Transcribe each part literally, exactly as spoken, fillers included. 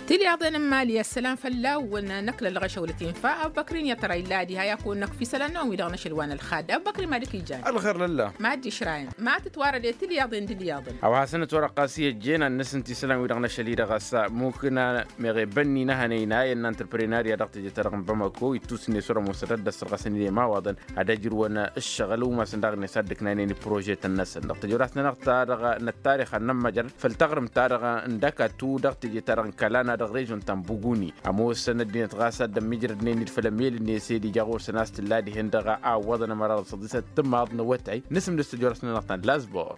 Tilyaḍen n-imali ăssălam fălla-wăn. Năkk lălɣăšăw lătinfa ăbbăkrin i-ad-tăra illa ad-iha i-ad-kăwăn-năkk f-isălan-năwăn wi-dăɣ n-ašăl wa n-ălxad ăbbăkrin ma dd-kăyjan. Ălxer lălla ma dd-išrayăn ma tǝtwarăd i-tilyaḍen d-ilyaḍen. A-wa hasăn-ătwărăɣ ɣas i-ăjjeen ad-nǝsǝnt isălan wi-dăɣ n-ašăl-i-dăɣ a-s mukkǝna meɣ ebănni n-ehănăy n-ayǝn n-antreprenarya dăɣ-teje-ta-dăɣ n-bamako ittus-net wăr-ămoosăt ad-dd-ăssărɣăsăn i-imawaḍăn ad-ăjrǝwăn ǝššăɣǝl umasăn daɣ-net ad-dd-ǝknaynen i-prožetăn-năsăn dăɣ-tejăwrat-nănăɣ-ta-dăɣ n-ăttarix ad-nămmăjrăd făll-taɣrǝmt-ta-dăɣ n-dăkatu dăɣ-teje-ta-dăɣ n-kălana dăɣ-režon ta n-buguni ămoosăn ăddinăt ɣas ad-dd-ămmijrădnen-dd făll-emel-net i-dd-ija ɣur-săn a-s tǝlla dihen-dăɣ a ǝwwăḍăn ămăra dăɣ-săḍisăt timaḍ n-awătay. Nǝsǝm d-tejăwrat-nănăɣ ta n-lazbor.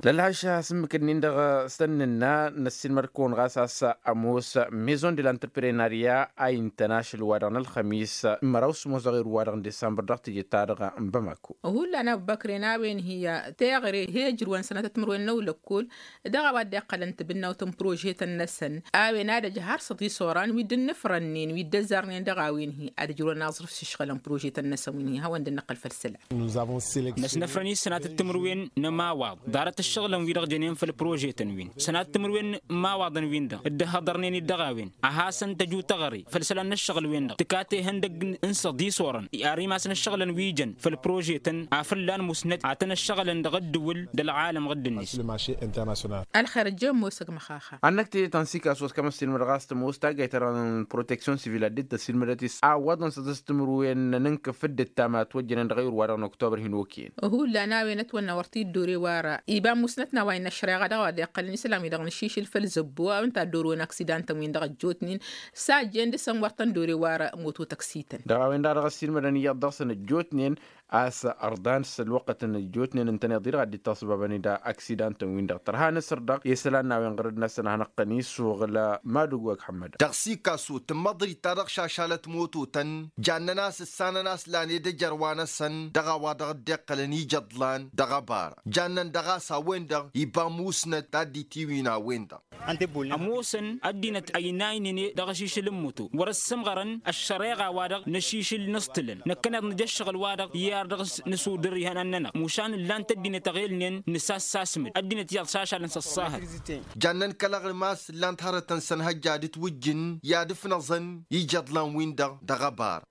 Lălhaš asǝmmǝk-nin-dăɣ s-tăn-nǝnna năssiilmăd-kăwăn ɣas a-s ămoos maison de l'entreprenarya a intăn ašăl-wa-dăɣ n-ălxămis măraw s-ămoos dăɣ-erǝw-wa-dăɣ n-disambăr dăɣ-teje-ta-dăɣ n-bamako. Hullan ăbbăkren a-wen hi-a teɣăre hi-ăjrǝwăn sănatăt timǝrwen n-ăwlăkkol dăɣ-a-wa dd-iqqălăn tibǝnnawt n-prožetăn-năsăn. A-wen ad-ăj har săḍis oran wi dd-ǝnnǝfrănnen wi dd-ăzzarnen dăɣ-a-wen-hi ad-ǝjrǝwăn aẓrǝf s-išɣǝlăn prožetăn-năsăn wi n-hi hawăn dd-năqqăl făll-isălan. Năsnăfrăn-i sănatăt timǝrwen n-ămawaḍ ḍarăt ǝššăɣǝlăn-wi-dăɣ jănen făll-prožetăn-win sănatăt timǝrwen n-ămawaḍăn-win-dăɣ dd-ăhhăḍărnen-dd dăɣ-a-wen a hasăn-tăju teɣăre făll-isălan n-ǝššăɣǝl-wen-dăɣ tǝkaten ihăndăgg n-săḍis orăn. Ar imas n-ǝššăɣǝlăn wi jăn făll-prožetăn afǝllan musnăt ad-tăn-ǝššăɣǝlăn dăɣ-ǝddǝwǝl d-ălɣalăm ɣǝddǝn-net. Ălxer ăjjeen mosăg măxaxa. Ad-năkk teje ta n-sikasu a-s kămăssilmăd ɣas tămoos taggayt-ta-dăɣ n-proteksyon sivil ad-dd-tăssilmădăt-s a ǝwwăḍăn săḍis timǝrwen n-ǝnkǝf dd-ǝttam a ătwăjjănen dăɣ-ayǝr-wa-dăɣ n-oktober hin-okăyăn. Hullan a-wen ătwănna wăr t-dd-ore wara iba musnăt n-a-wa innă ăššăreɣa dăɣ-a-wa dd-iqqălăn isălan-wi-dăɣ n-ašišǝl făll-zăbbo a-wen ta dd-orăwăn aksidantăn-win-dăɣ ăjjootnen. S-a ăjjeen dăɣ-săn wăr tăn-dd-ore wara moto tăksităn. Dăɣ-a-wen-dăɣ dăɣ-ăssiilmădăn iyyăḍ dăɣ-săn ăjjootnen a-s ărḍan s-ălwăqqăt n-ăjjootnen ǝntăneḍ-i-dăɣ a dd-itasăbabăn-dd aksidantăn-win-dăɣ tărha nǝsǝr-dăɣ i-isălan n-a-wen ɣărăd-năsăn ad-hanăɣ-tăn-isuɣǝl. Madǝgg wa ăkḥămmădăn. Dăɣ-sikasu tǝmmăḍrit-ta-dăɣ šašalăt mototăn jannăn a-s ǝssanăn a-s lan edăjăr wa-năsăn dăɣ-a-wa-dăɣ dd-iqqălăn ijăḍlan dăɣ-ăbara jannăn dăɣ-a-s a-wen-dăɣ iba musnăt ta dd-itiwǝyǝn a-wen-dăɣ. Ămoosăn ăddinăt ăynaynen dăɣ-ašišǝl n-muto wăr-ăssǝmɣărăn ăššăreɣa-wa-dăɣ n-ašišǝl n-aẓtǝlăn năkkăneḍ nǝj' ǝššăɣǝl-wa-dăɣ i-ar dăɣ-s nǝsudǝr ihănan-nănăɣ mušan ǝllan-t ăddinăt aɣelnen nǝsassasmǝd ăddinăt iyyăḍ šašalăn s-ăṣṣahăt. Jannăn kăl-aɣrǝm a-s ǝllan-t hărătăn sănhăjja d-ǝtwǝjjǝn i-ad-ǝfnăẓăn ijăḍlan-win-dăɣ dăɣ-ăbar.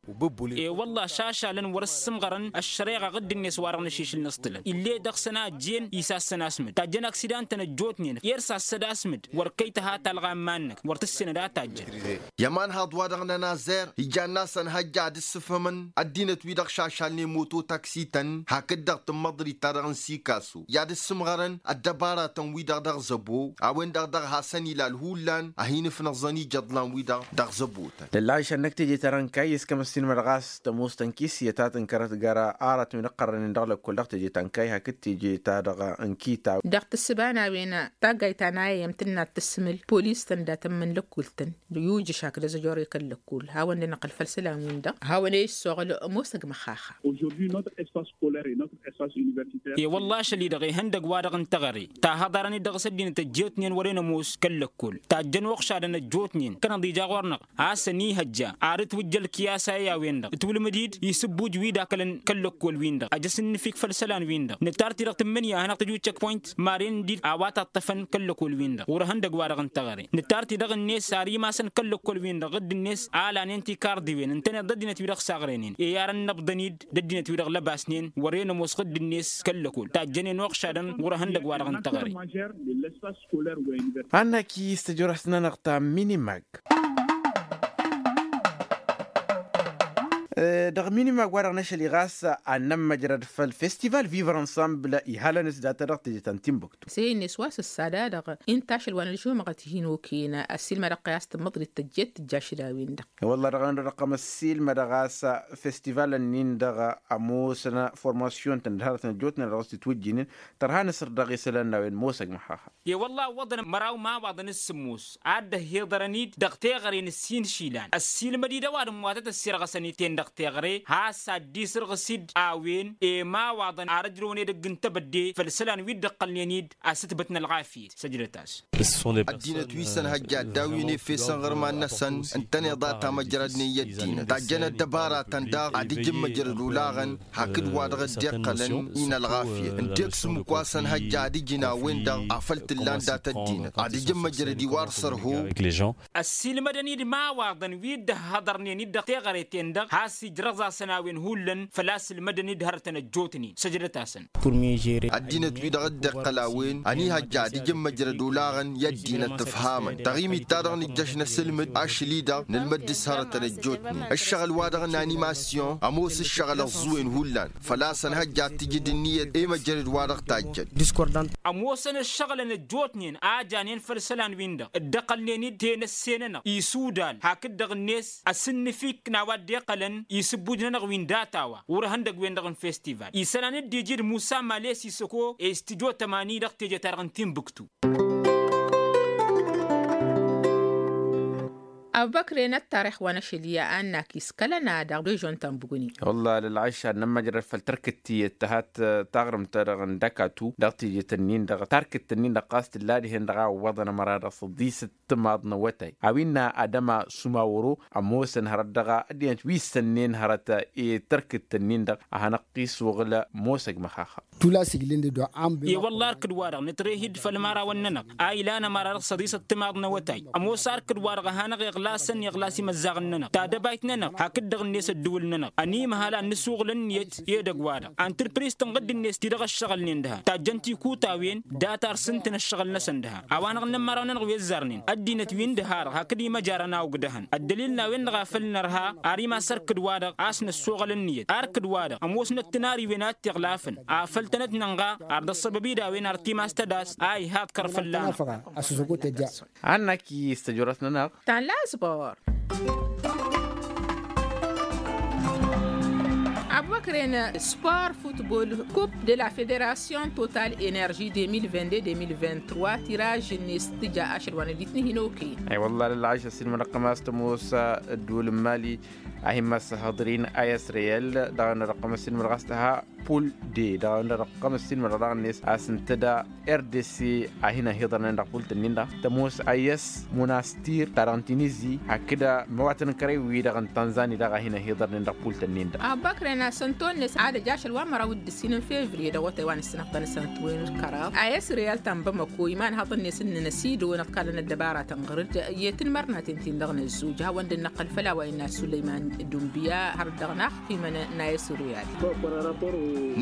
E-wălla-š ašalăn wăr-ǝssǝmɣărăn ăššăreɣa ɣǝddǝn-net wa-dăɣ n-ašišǝl n-aẓtǝlăn ill'-e dăɣ-săn a ăjjeen isassăn asmǝd tajjăn aksidantăn ăjjootnen. Irsas s-ăd asmǝd wăr kăy-tăha talɣa n-iman-năk wăr tǝssenăd a tajjăn. I-ămanhaḍ-wa-dăɣ n-ănazer ijanna săn hăjja ad-ǝssǝfhǝmăn ăddinăt-wi-dăɣ šašalnen moto taksităn hakd-dăɣ tǝmmăḍrit-ta-dăɣ n-sikasu i-ad-ǝssǝmɣărăn ăddăbaratăn-wi-dăɣ dăɣ-zăbo a-wen-dăɣ dăɣ-hasăn-ilal hullan a hin-ǝfnăẓăn ijăḍlan-wi-dăɣ dăɣ-zăbo. Lăllan šănnăk teje-ta-dăɣ n-kayy s-kămăssinmădăɣ a-s tămoos tănkis i-ătatǝnkărăt gar-arăt wi n-ăqqărrănen dăɣ-lăkkol dăɣ-teje ta n-kayy hakd teje-ta-dăɣ n-kitaw. Dăɣ-tǝssǝba n-a-wen taggayt ta n-a i-ămtǝnna d-tǝssǝmǝl polis tăndatăn imǝnlăkkul-tăn. Yujǝš hakd ăzăjor i-kăl-lăkkul hawăn-dd-năqqăl făll-isălan-win-dăɣ hawăn-e-issooɣǝl ămoosăg măxaxa. E-wălla ašăl-i-dăɣ ihăndăgg-wa-dăɣ n-teɣăre tahăḍarăn-dd dăɣ-s ăddinăt ăjjootnen wăren ămoos kăl-lăkkol tajjăn uɣšadăn ăjjootnen kănăḍ ija ɣur-năɣ a-s ănihăjja ar ǝtwǝjja ălkiyasa i-a-wen-dăɣ ǝtwǝlmǝd-dd isǝbbuj wi d-akălăn kăl-lăkkol-win-dăɣ ăj ăsǝnnǝfik făll-isălan-win-dăɣ nǝttar-t-i-dăɣ tǝmmǝnǝya a hanăɣ-tăju check point maren-dd-dd awat aṭṭăfăn kăl-lăkkol-win-dăɣ ɣur-ehăndăgg-wa-dăɣ n-teɣăre. Nǝttar-t-i-dăɣ ǝnne-s ar imasăn kăl-lăkkol-win-dăɣ ɣǝdd-net a ălanen tikarḍiwen ǝntăneḍ d-ăddinăt-wi-dăɣ saɣrăynen i-arăn inăbḍăn-dd d-ăddinăt-wi-dăɣ lăbasnen wăren ămoos ɣǝdd-net kăl-lăkkol tajjănen uɣšadăn ɣur-ehăndăgg-wa-dăɣ n-teɣăre. Annak-i s-tăjorăs-nănăɣ ta minimag. Dăɣ-minimag wa-dăɣ n-ašăl-i ɣas ad-nămmăjrăd făll-festival vivre ensemble ihalăn-s data dăɣ-teje ta n-timbuktu. S-e-net wa s-ăssadadăɣ inta ašăl wa n-ălžumăɣăt hin-okăyăn ăssiilmădăɣ-tăy a-s tǝmmăḍrit tăjjeet tǝjja ašăl a-wen-dăɣ. Wălla dăɣ-en-dăɣ ăqqăm ăssiilmădăɣ a-s festival-nin-dăɣ ămoosăn formasyon-tăn d-hărătăn ăjjootnen dăɣ-s itwǝjjǝynen. Tărha nǝsǝr dăɣ-isălan n-a-wen mosăg măxaxa. E-wălla ǝwwăḍăn măraw imawaḍăn s-sǝmmos ad-dd-ăhhiḍărăn-dd dăɣ-teɣăre n-ǝssin išilan ăssiilmăd-dd ăwadǝm wa tăt-ăssirɣăsăn i-ten. dăɣ-teɣăre has-addisărɣǝs-dd a-wen i-imawaḍăn ar ǝjrăwăn edăgg n-tebădde făll-isălan wi dd-ǝqqălnen-dd asǝtbăt n-ălɣafyăt. Săjdăt-as. Ăddinăt wi s-ănhăjja ăddawen efesăn ɣǝrman-năsăn ǝntăneḍ a tamăjrădnen i-ăddinăt tajjăn ăddăbaratăn daɣ ad-ǝjǝn măjrăd olaɣăn hakd-wa-dăɣ dd-iqqălăn i-inălɣafyăt ǝnta i-ǝksǝm ǝkk wa s-ănhăjja ad-ǝjǝn a-wen-dăɣ a făl t-ǝllan dat-ăddinăt ad-ǝjǝn măjrăd-i wa dăɣ-sărho. Ăssiilmădăn-dd imawaḍăn wi dd-ăhhăḍărnen-dd dăɣ-teɣăre-ten-dăɣ has-ijrăẓ-asăn a-wen hullan făl-a-s ǝlmădăn-dd hărătăn ăjjootnen săjdăt-asăn. Ăddinăt-wi-dăɣ dd-iqqăl a-wen ănihăjja ad-ǝjǝn măjrăd olaɣăn i-ăddinăt ǝfhamăn dăɣ-imit ta dăɣ-nǝjjăš n-asǝlmǝd ašli-dăɣ nǝlmăd dăɣ-s hărătăn ăjjootnen ǝššăɣǝl-wa-dăɣ n-animasyon ămoos ǝššăɣǝl ăẓẓuwen hullan făl-a-s ănhăjja ad-t-ǝjǝd ǝnniyăt i-măjrăd-wa-dăɣ tajjăn. Ămoosăn ǝššăɣǝlăn ăjjootnen a janen făll-isălan-win-dăɣ dd-ăqqălnen-dd tenăsse-nănăɣ isudal hakd-dăɣ-net ăsǝnnǝfik n-a-wa dd-iqqălăn isǝbbuj-nănăɣ wi n-data-wa wăr-ehăndăg-wen-dăɣ n-festival isălan dd-iji d-musa males isăko i-studyo tămani dăɣ-teje-ta-dăɣ n-tinbǝktu. Abubăkre n-ăttarix wa n-ašăl i-ad-nak iskălăn-ad-dăɣ režon ta n-bugǝni. Wălla lălɣayš ad-nămmăjrăd făll-tărkǝt tiyyăt tăhat taɣrǝmt-ta-dăɣ n-dăkatu dăɣ-tijǝt-ǝnnin-dăɣ tarkǝt-ǝnnin-dăɣ ɣas tǝlla dihen-dăɣ a ǝwwăḍăn ămăra dăɣ-săḍisăt timaḍ n-awătay a-wen n-adăma sumawăro ămoosăn hărăt dăɣ-ăddinăt wi issănnen hărăt i-tărkǝt-ǝnnin-dăɣ a hanăɣ-t-isuɣǝl. Ămoosăg măxaxa. I-wălla arkǝd-wa-dăɣ nǝtreh-dd făll-imărawăn-nănăɣ a ilan ămăra dăɣ-săḍisăt timaḍ n-awătay ămoos arkǝd-wa-dăɣ a hanăɣ-iɣlasăn iɣlas imăzzaɣăn-nănăɣ tadăbayt-nănăɣ hakd-dăɣ-net ăddǝwǝl-nănăɣ ănimhal ad-nǝsuɣǝl ǝnniyăt i-edăgg-wa-dăɣ. Antrǝpris tǝnɣǝd-net ti dăɣ-ăššăɣǝlnen dăhan tajjăn tikutawen data ar sǝntǝn ăššăɣǝl-năsăn dăhan a-wa-năɣ n-ămăraw-nănăɣ wi ăzzarnen ăddinăt wi n-dăha-dăɣ hakd imăjarăn a ogdăhăn ăddălil n-a-wen-dăɣ a făl nărha ar imas arkǝd-wa-dăɣ a-s năssoɣăl ǝnniyăt arkǝd-wa-dăɣ ămoosnăt tinariwen a t-iɣlafăn afăl tănăt-nănɣa ar dăɣ-săbăb-i d-a-wen ar timas tădas a ihaḍ kăr fălla-năɣ. Hannak-i s-tăjorăt-nănăɣ. Tanla sport. Abubăkren sport futbol, coupe de la fédération total énergie deux mille vingt-deux deux mille vingt-trois tiraj-net tǝja ašăl wa n-ăddit n-hin-okăyăn. Ay wălla lălɣayš ăssiilmădăɣ-tăm a-s tămoos ăddul n-mali a hin-măssăhăḍrin a s-reyal dăɣ-ănnădăɣ-tăm ăssiilmădăɣ a-s tăha pul de dăɣ-ănnădăɣ-tăm ăssiilmădăɣ daɣ-net a-s ǝntăda rdc a hin-ăhiḍărnen dăɣ-pul-tăn-in-dăɣ tămoos a s-munastir ta dăɣ-n tinizi hakd măwatăn kărăy-wi-dăɣ n-tanzani daɣ a hin-ăhiḍărnen dăɣ-pul-tăn-in-dăɣ. Abubăkren a-s ănto-net ad-ăj ašăl wa n-măraw d-ǝssin n-fevriye dăɣ-otay wa n-ǝssǝnăɣ-tăn s-ăntwăyăn d-kăraḍ a s-reyal ta n-bamăko imanhăḍ-net ǝnnăn ăsidăwăn ăḍkalăn ăddăbara tănɣăr-dd i-tinmărnaten-tin-dăɣ n-ăzzuj hawăn-dd-năqqăl făll-a-wa innă sulăyman d-unbiya har dăɣ-nax timăn n-a s-reyal.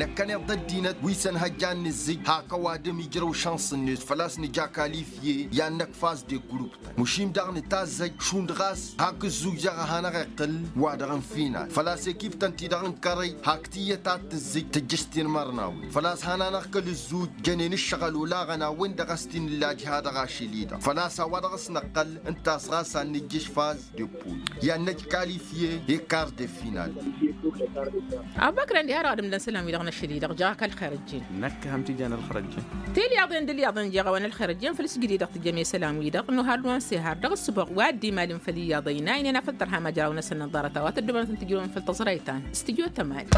Năkkăneḍ d-ăddinăt wi s-ănhăjja ad-nǝzzǝj hak ăwadǝm ijrăw šănṣ-net făl-a-s nǝja kalifye i-ad-năkk faz de grup. Măšin daɣ nǝtazzăj šund ɣas hak ǝzzuj daɣ a hanăɣ-iqqǝl wa-dăɣ n-final făl-a-s ekiptăn-ti-dăɣ n-kărăy hak tiyyăt ad-tǝzzǝj tǝjjǝš tinmărnawen făl-a-s han-anăɣ-kăl-ǝzzuj jănen ǝššăɣǝl olaɣăn a-wen-dăɣ a-s t-in-ǝllaj ha-dăɣ ašăl-i-dăɣ făl-a-s a-wa dăɣ-s năqqăl ǝnta a-s ɣas ad-nǝjjǝš faz de pul i-ad-năj kalifye i-kar de final. Abubăkren diha-dăɣ ad-ǝmdăn isălan-wi-dăɣ n-ašăl-i-dăɣ jăɣ-ak ălxer ăjjeen. Năkk ham tijan ălxer ăjjeen. Tilyaḍen d-ǝlyaḍen jeɣ a-wen ălxer ăjjeen făll-isǝjdǝy dăɣ-tǝjjăm i-isălan-wi-dăɣ n-ohar d-wa n-sehar dăɣ-ǝssǝboɣ wa dd-imalǝn făll-iyyăḍ ăynaynen afăl tărha măjraw-năsăn n-ăḍarăt a-wa tăddoobănăt n-tǝjrăwăn făll-tăẓrayt ta n-studyo tămali.